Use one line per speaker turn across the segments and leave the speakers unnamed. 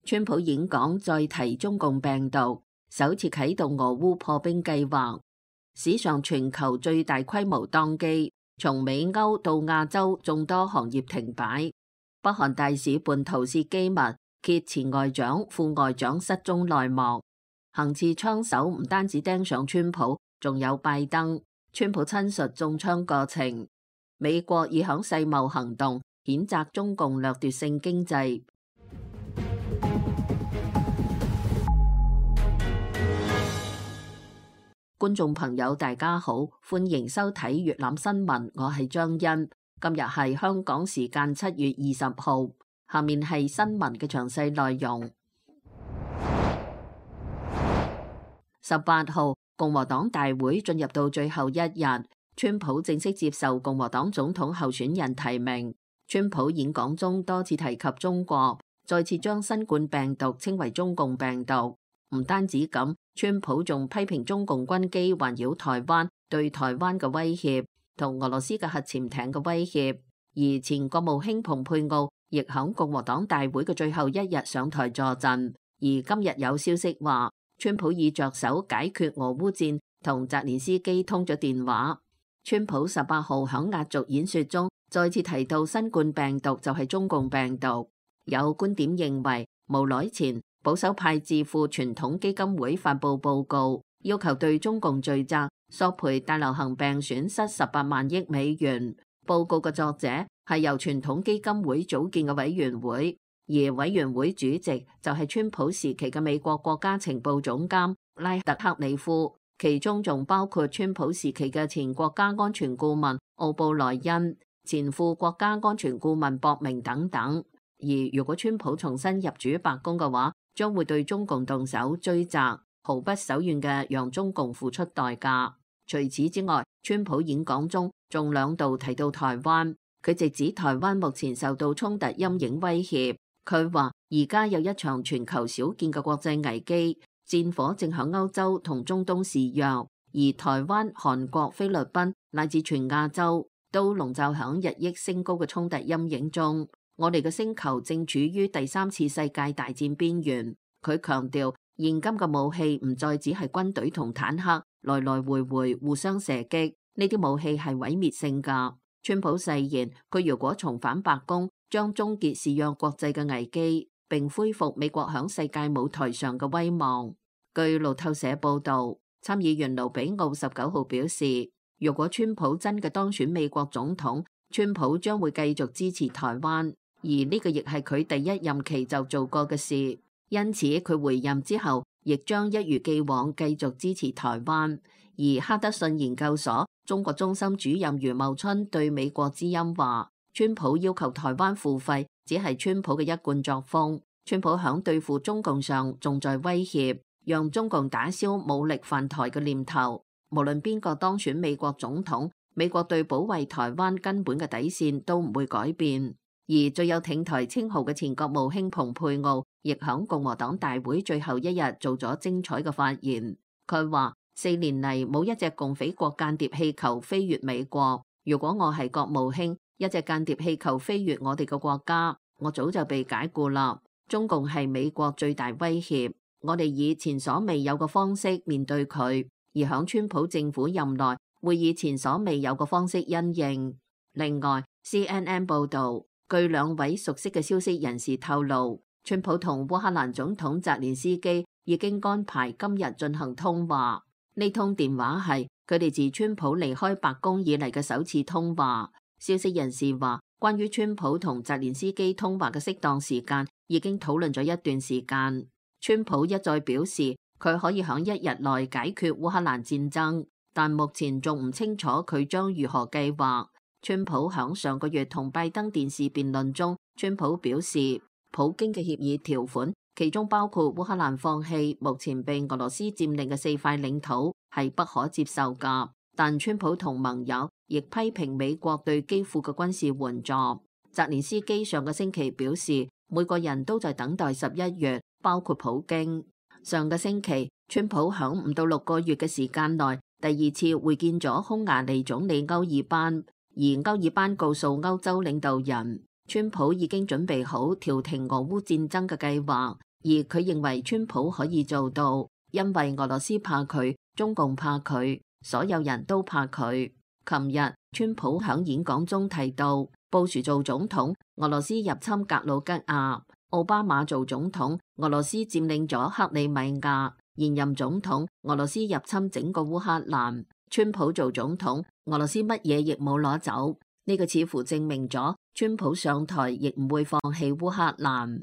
川普演講再提中共病毒，首次啟動俄烏破冰計劃，史上全球最大規模當機，從美歐到亞洲眾多行業停擺。北韓大使叛逃竊機密，揭前外長、副外長失蹤內幕。行刺槍手唔單止盯上川普，仲有拜登。川普親述中槍過程。美國已響世貿行動，譴責中共掠奪性經濟。觀眾朋友大家好，歡迎收睇粵覽新聞，我係張欣。今日係香港時間7月20號，下面係新聞嘅詳細內容。18號，共和黨大會進入到最後一日，川普正式接受共和黨總統候選人提名。川普演講中多次提及中國，再次將新冠病毒稱為中共病毒。唔單止咁，川普仲批評中共軍機環繞台灣，對台灣嘅威脅同俄羅斯嘅核潛艇嘅威脅。而前國務卿蓬佩奧亦響共和黨大會嘅最後一日上台坐鎮。而今日有消息話，川普已着手解決俄烏戰，同澤連斯基通咗電話。川普18號響壓軸演說中再次提到新冠病毒就係中共病毒。有觀點認為，無耐前保守派智庫傳統基金會發佈報告，要求對中共罪責索賠大流行病損失18萬億美元。報告嘅作者係由傳統基金會組建嘅委員會，而委員會主席就係川普時期嘅美國國家情報總監拉特克里夫，其中仲包括川普時期嘅前國家安全顧問奧布萊恩、前副國家安全顧問博明等等。而如果川普重新入主白宮嘅話，將會對中共動手追責，毫不手軟嘅讓中共付出代價。除此之外，川普演講中仲2度提到台灣，佢直指台灣目前受到衝突陰影威脅。佢話而家有一場全球少見嘅國際危機，戰火正響歐洲同中東肆虐，而台灣、韓國、菲律賓乃至全亞洲都籠罩響日益升高嘅衝突陰影中。我哋嘅星球正處於第3次世界大戰邊緣。佢強調，現今嘅武器唔再只係軍隊同坦克來來回回互相射擊，呢啲武器係毀滅性㗎。川普誓言，佢如果重返白宮，將終結肆虐國際嘅危機，並恢復美國響世界舞台上嘅威望。據路透社報導，參議員盧比奧19號表示，如果川普真嘅當選美國總統，川普將會繼續支持台灣。而呢個亦係佢第1任期就做過嘅事，因此佢回任之後，亦將一如既往繼續支持台灣。而哈德遜研究所中國中心主任余茂春對美國之音話，川普要求台灣付費，只係川普嘅一貫作風。川普響對付中共上，仲在威脅，讓中共打消武力犯台嘅念頭。無論邊個當選美國總統，美國對保衛台灣根本嘅底線都唔會改變。而最有挺台稱號嘅前國務卿蓬佩奧，亦響共和黨大會最後一日做咗精彩嘅發言。佢話：4年嚟冇一隻共匪國間諜氣球飛越美國。如果我係國務卿，一隻間諜氣球飛越我哋嘅國家，我早就被解僱啦。中共係美國最大威脅，我哋以前所未有嘅方式面對佢，而響川普政府任內會以前所未有嘅方式因應。另外 CNN 報導，據2位熟悉嘅消息人士透露，川普同烏克蘭總統澤連斯基已經安排今日進行通話。呢通電話係佢哋自川普離開白宮以嚟嘅首次通話。消息人士話，關於川普同澤連斯基通話嘅適當時間已經討論咗一段時間。川普一再表示佢可以喺1日內解決烏克蘭戰爭，但目前仲唔清楚佢將如何計劃。川普響上個月同拜登電視辯論中，川普表示，普京嘅協議條款，其中包括烏克蘭放棄目前被俄羅斯佔領嘅4塊領土，係不可接受㗎。但川普同盟友亦批評美國對基輔嘅軍事援助。澤連斯基上個星期表示，每個人都在等待11月，包括普京。上個星期，川普響5到6個月嘅時間內，第2次會見咗匈牙利總理歐爾班。而歐爾班告訴歐洲領導人，川普已經準備好調停俄烏戰爭嘅計劃，而佢認為川普可以做到，因為俄羅斯怕佢，中共怕佢，所有人都怕佢。琴日川普響演講中提到，布殊做總統，俄羅斯入侵格魯吉亞；奧巴馬做總統，俄羅斯佔領咗克里米亞；現任總統，俄羅斯入侵整個烏克蘭；川普做總統，俄羅斯乜嘢亦冇攞走。呢個似乎證明咗川普上台亦唔會放棄烏克蘭。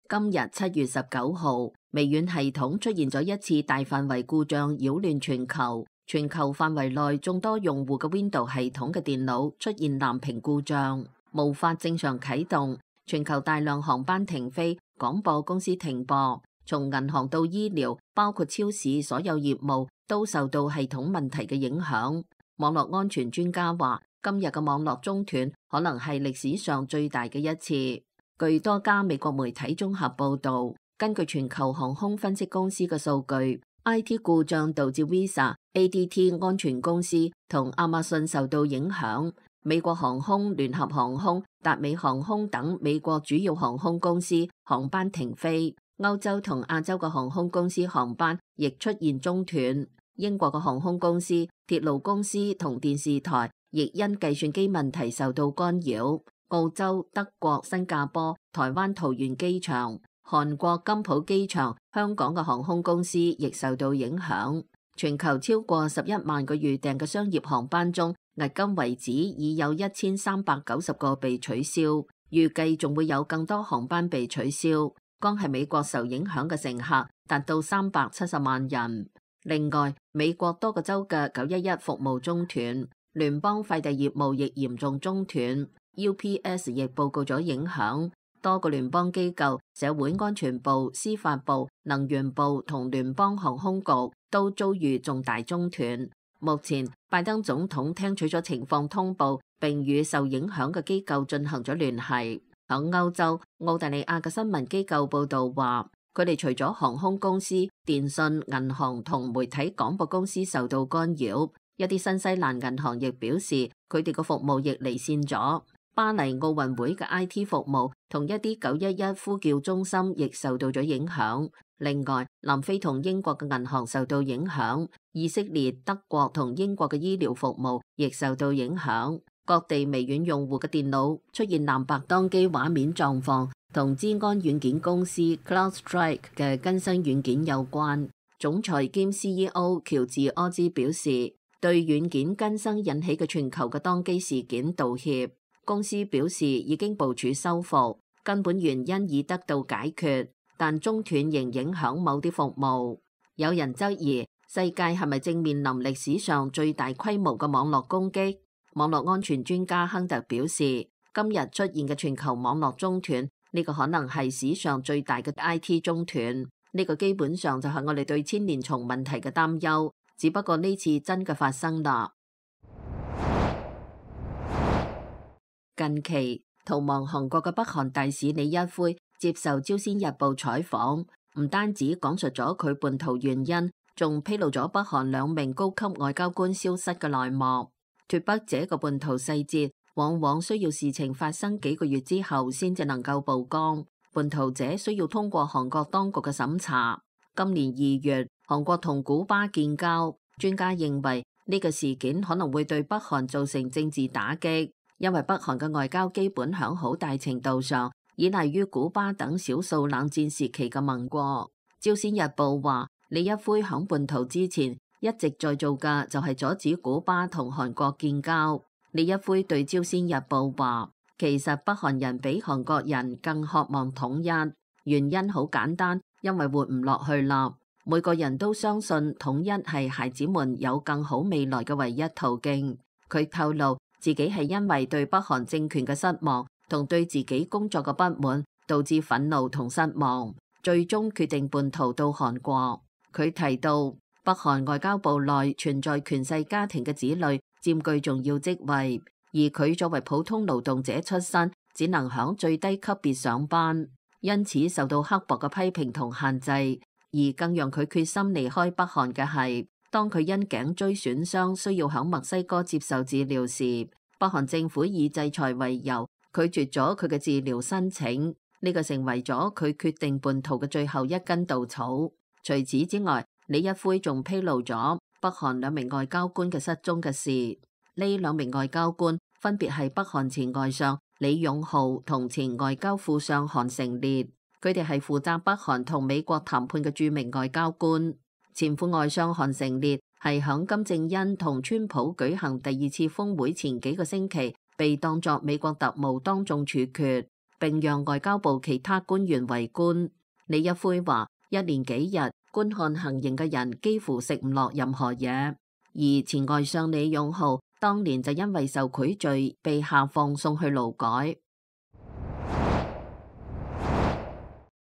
今日7月19號，微軟系統出現咗一次大範圍故障，擾亂全球。全球範圍內眾多用戶嘅 Windows 系統嘅電腦出現藍屏故障，無法正常啟動。全球大量航班停飛，廣播公司停播。從銀行到醫療，包括超市，所有業務都受到系統問題嘅影響。網絡安全專家話，今日嘅網絡中斷可能係歷史上最大嘅一次。據多家美國媒體綜合報導，根據全球航空分析公司嘅數據， IT 故障導致 Visa、ADT 安全公司同亞馬遜受到影響。美國航空、聯合航空、達美航空等美國主要航空公司航班停飛，歐洲同亞洲嘅航空公司航班亦出現中斷。英國嘅航空公司、鐵路公司同電視台亦因計算機問題受到干擾。澳洲、德國、新加坡、台灣桃園機場、韓國金浦機場、香港嘅航空公司亦受到影響。全球超過11萬個預訂嘅商業航班中，迄今為止已有1390個被取消，預計仲會有更多航班被取消。光係美國受影響嘅乘客達到370萬人。另外，美國多個州嘅911服務中斷，聯邦快遞業務亦嚴重中斷。UPS 亦報告咗影響，多個聯邦機構、社會安全部、司法部、能源部同聯邦航空局都遭遇重大中斷。目前，拜登總統聽取咗情況通報，並與受影響嘅機構進行咗聯繫。響歐洲，澳大利亞嘅新聞機構報道話，佢哋除咗航空公司、電信、銀行同媒體廣播公司受到干擾，一啲新西蘭銀行亦表示佢哋嘅服務亦離線咗。巴黎奧運會嘅 IT 服務同一啲911呼叫中心亦受到咗影響。另外，南非同英國嘅銀行受到影響，以色列、德國同英國嘅醫療服務亦受到影響。各地微軟用戶嘅電腦出現藍白當機畫面狀況，同資安軟件公司 CrowdStrike 嘅更新軟件有關。總裁兼 CEO 喬治柯茲表示，對軟件更新引起嘅全球嘅當機事件道歉。公司表示已經部署修復，根本原因已得到解決，但中斷仍影響某啲服務。有人質疑世界係咪正面臨歷史上最大規模嘅網絡攻擊？網絡安全專家亨特表示，今日出現嘅全球網絡中斷，呢個可能係史上最大嘅 IT 中斷。呢個基本上就係我哋對千年蟲問題嘅擔憂，只不過呢次真嘅發生啦。近期逃亡韓國嘅北韓大使李一輝接受朝鮮日報採訪，唔單止講述咗佢叛逃原因，仲披露咗北韓2名高級外交官消失嘅內幕。脫北者嘅叛逃細節往往需要事情發生幾個月之後先至能夠曝光，叛逃者需要通過韓國當局嘅審查。今年2月，韓國同古巴建交，專家認為呢個事件可能會對北韓造成政治打擊。因為北韓嘅外交基本響好大程度上依賴於古巴等少數冷戰時期嘅盟國。朝鮮日報話，李一輝響叛逃之前一直在做嘅就係阻止古巴同韓國建交。李一輝對朝鮮日報話，其實北韓人比韓國人更渴望統一，原因好簡單，因為活唔落去啦。每個人都相信統一係孩子們有更好未來嘅唯一途徑。佢透露，自己係因為對北韓政權嘅失望同對自己工作嘅不滿，導致憤怒同失望，最終決定叛逃到韓國。佢提到，北韓外交部內存在權勢家庭嘅子女佔據重要職位，而佢作為普通勞動者出身，只能響最低級別上班，因此受到刻薄嘅批評同限制。而更讓佢決心離開北韓嘅係，當佢因頸椎損傷需要響墨西哥接受治療時，北韓政府以制裁為由，拒絕咗佢嘅治療申請，呢個成為咗佢決定叛逃嘅最後一根稻草。除此之外，李一輝仲披露咗北韓兩名外交官嘅失蹤嘅事。呢兩名外交官分別係北韓前外相李勇浩同前外交副相韓成烈，佢哋係負責北韓同美國談判嘅著名外交官。前副外相韓成烈係響金正恩同川普舉行第2次峰會前幾個星期被當作美國特務當眾處決，並讓外交部其他官員圍觀。李一輝話：一連幾日觀看行刑嘅人幾乎食唔落任何嘢，而前外相李勇浩當年就因為受賄罪被下放送去勞改。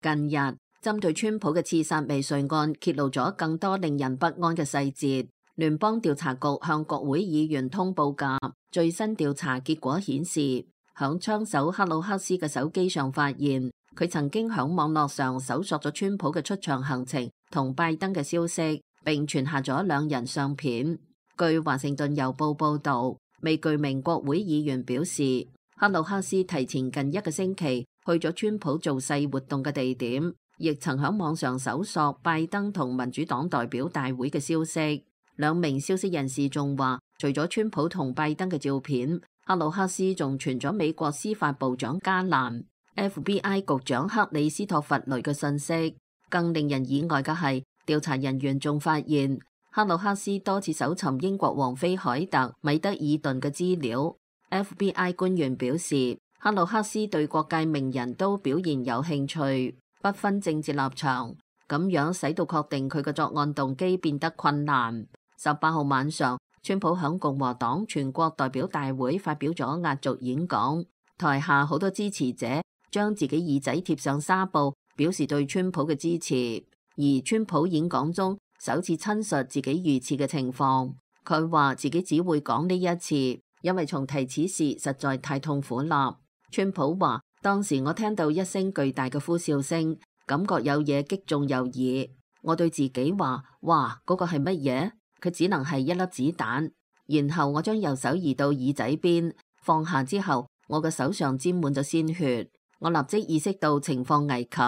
近日針對川普嘅刺殺未遂案揭露咗更多令人不安嘅細節。聯邦調查局向國會議員通報嘅最新調查結果顯示，響槍手克魯克斯嘅手機上發現佢曾經響網絡上搜索咗川普嘅出場行程同拜登嘅消息，並傳下咗兩人相片。據華盛頓郵報報道，未具名國會議員表示，克魯克斯提前近1個星期去咗川普造勢活動嘅地點，亦曾喺網上搜索拜登同民主黨代表大會嘅消息。兩名消息人士仲話，除咗川普同拜登嘅照片，克魯克斯仲傳咗美國司法部長加蘭、FBI 局長克里斯托弗雷嘅信息。更令人意外嘅係，調查人員仲發現克魯克斯多次搜尋英國王妃凱特米德爾頓嘅資料。FBI 官員表示，克魯克斯對各界名人都表現有興趣，不分政治立場，咁樣使到確定佢嘅作案動機變得困難。18號晚上，川普響共和黨全國代表大會發表咗壓軸演講，台下好多支持者將自己耳仔貼上紗布，表示對川普嘅支持。而川普演講中首次親述自己遇刺嘅情況，佢話自己只會講呢一次，因為重提此事實在太痛苦啦。川普話：當時我聽到一聲巨大嘅呼笑聲，感覺有嘢擊中右耳。我對自己話：哇，嗰個係乜嘢？佢只能係一粒子彈。然後我將右手移到耳仔邊，放下之後，我嘅手上沾滿咗鮮血。我立即意識到情況危急，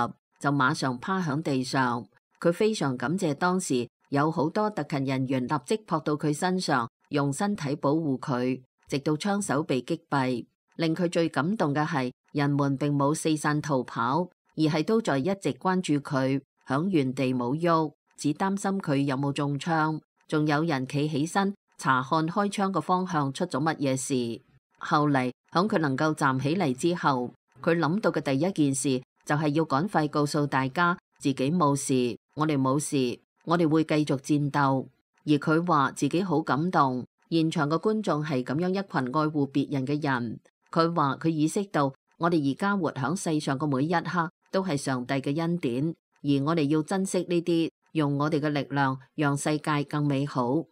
就馬上趴響地上。佢非常感謝當時有好多特勤人員立即撲到佢身上，用身體保護佢，直到槍手被擊斃。令佢最感動嘅係，人們並冇四散逃跑，而係都在一直關注佢，響原地冇喐，只擔心佢有冇中槍。仲有人企起身查看開槍嘅方向出咗乜嘢事。後嚟響佢能夠站起嚟之後，佢諗到嘅第一件事就係要趕快告訴大家自己冇事，我哋冇事，我哋會繼續戰鬥。而佢話自己好感動，現場嘅觀眾係咁樣一群愛護別人嘅人。佢話佢意識到我哋而家活響世上嘅每一刻都係上帝嘅恩典，而我哋要珍惜呢啲，用我哋嘅力量讓世界更美好。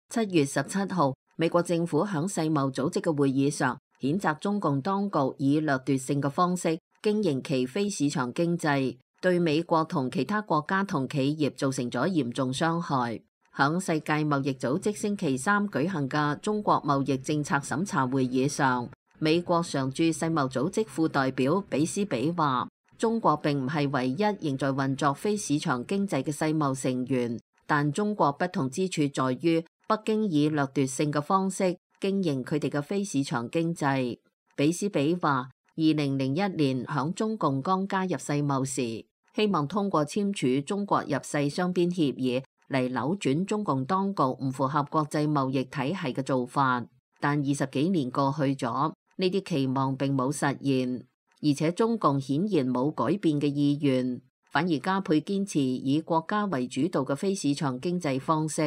7月17號，美國政府響世貿組織嘅會議上譴責中共當局以掠奪性嘅方式經營其非市場經濟，對美國同其他國家同企業造成咗嚴重傷害。響世界貿易組織星期3舉行嘅中國貿易政策審查會議上，美國常駐世貿組織副代表比斯比話：中國並唔係唯一仍在運作非市場經濟嘅世貿成員，但中國不同之處在於北京以掠奪性嘅方式經營佢哋嘅非市場經濟。比斯比話：2001年響中共剛加入世貿時，希望通過簽署中國入世雙邊協議嚟扭轉中共當局唔符合國際貿易體系嘅做法，但20幾年過去咗，呢啲期望並冇實現，而且中共顯然冇改變嘅意願，反而加倍堅持以國家為主導嘅非市場經濟方式，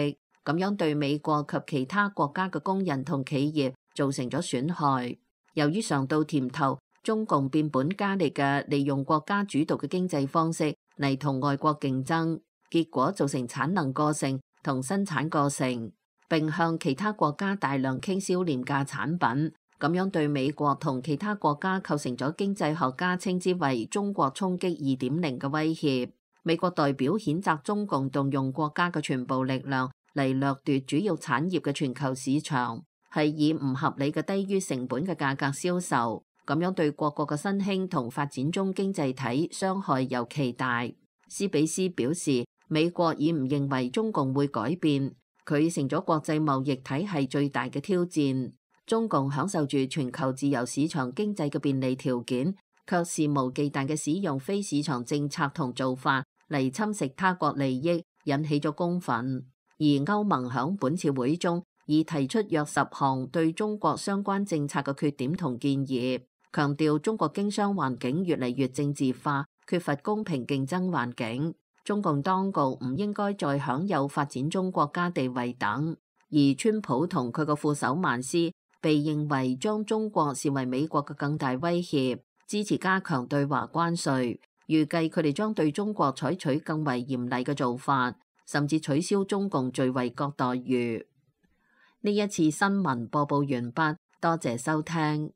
咁樣對美國及其他國家嘅工人同企業造成咗損害。由於嘗到甜頭，中共變本加厲嘅利用國家主導嘅經濟方式嚟同外國競爭，結果造成產能過剩同生產過剩，並向其他國家大量傾銷廉價產品，咁樣對美國同其他國家構成咗經濟學家稱之為中國衝擊2.0嘅威脅。美國代表譴責中共動用國家嘅全部力量嚟掠奪主要產業嘅全球市場，係以唔合理嘅低於成本嘅價格銷售，咁樣對各國嘅新興同發展中經濟體傷害尤其大。斯比斯表示，美國已唔認為中共會改變，佢成咗國際貿易體系最大嘅挑戰。中共享受住全球自由市場經濟嘅便利條件，卻肆無忌憚嘅使用非市場政策同做法嚟侵蝕他國利益，引起咗公憤。而歐盟響本次會中已提出約10項對中國相關政策嘅缺點同建議，強調中國經商環境越嚟越政治化，缺乏公平競爭環境。中共當局唔應該再享有發展中國家地位等。而川普同佢個副手曼斯被認為將中國視為美國嘅更大威脅，支持加強對華關稅，預計佢哋將對中國採取更為嚴厲嘅做法，甚至取消中共最惠國待遇。呢一次新聞播報完畢，多謝收聽。